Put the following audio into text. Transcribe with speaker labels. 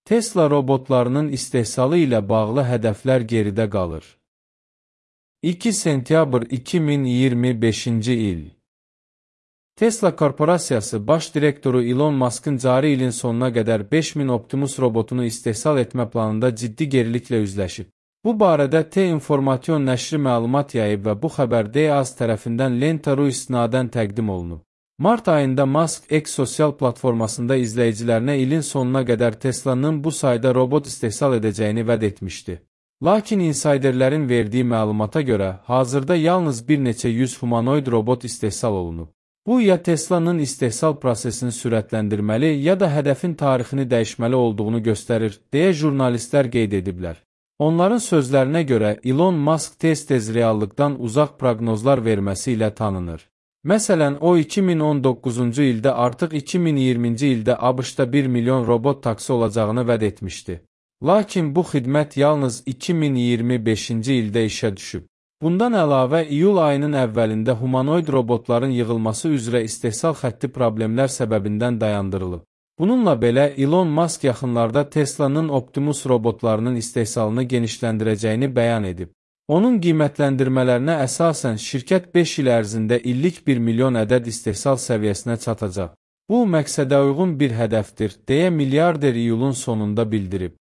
Speaker 1: Tesla robotlarının istehsalı ilə bağlı hədəflər geridə qalır. 2 sentyabr 2025-ci il. Tesla Korporasiyası baş direktoru Elon Musk'ın cari ilin sonuna qədər 5000 Optimus robotunu istehsal etmə planında ciddi geriliklə üzləşib. Bu barədə T-Information nəşri məlumat yayıb və bu xəbər DAZ tərəfindən Lenta.ru istinadən təqdim olunub. Mart ayında Musk X sosial platformasında izləyicilərinə ilin sonuna qədər Tesla'nın bu sayda robot istehsal edəcəyini vəd etmişdi. Lakin insiderlərin verdiyi məlumata görə, hazırda yalnız bir neçə yüz humanoid robot istehsal olunub. Bu, ya Tesla'nın istehsal prosesini sürətləndirməli, ya da hədəfin tarixini dəyişməli olduğunu göstərir, deyə jurnalistlər qeyd ediblər. Onların sözlərinə görə, Elon Musk tez-tez reallıqdan uzaq proqnozlar verməsi ilə tanınır. Məsələn, o 2019-cu ildə artıq 2020-ci ildə ABŞ-da 1 milyon robot taksi olacağını vəd etmişdi. Lakin bu xidmət yalnız 2025-ci ildə işə düşüb. Bundan əlavə, iyul ayının əvvəlində humanoid robotların yığılması üzrə istehsal xətti problemlər səbəbindən dayandırılıb. Bununla belə, Elon Musk yaxınlarda Tesla'nın Optimus robotlarının istehsalını genişləndirəcəyini bəyan edib. Onun qiymətləndirmələrinə əsasən şirkət 5 il ərzində illik 1 milyon ədəd istehsal səviyyəsinə çatacaq. Bu, məqsədə uyğun bir hədəfdir, deyə milyarder iyulun sonunda bildirib.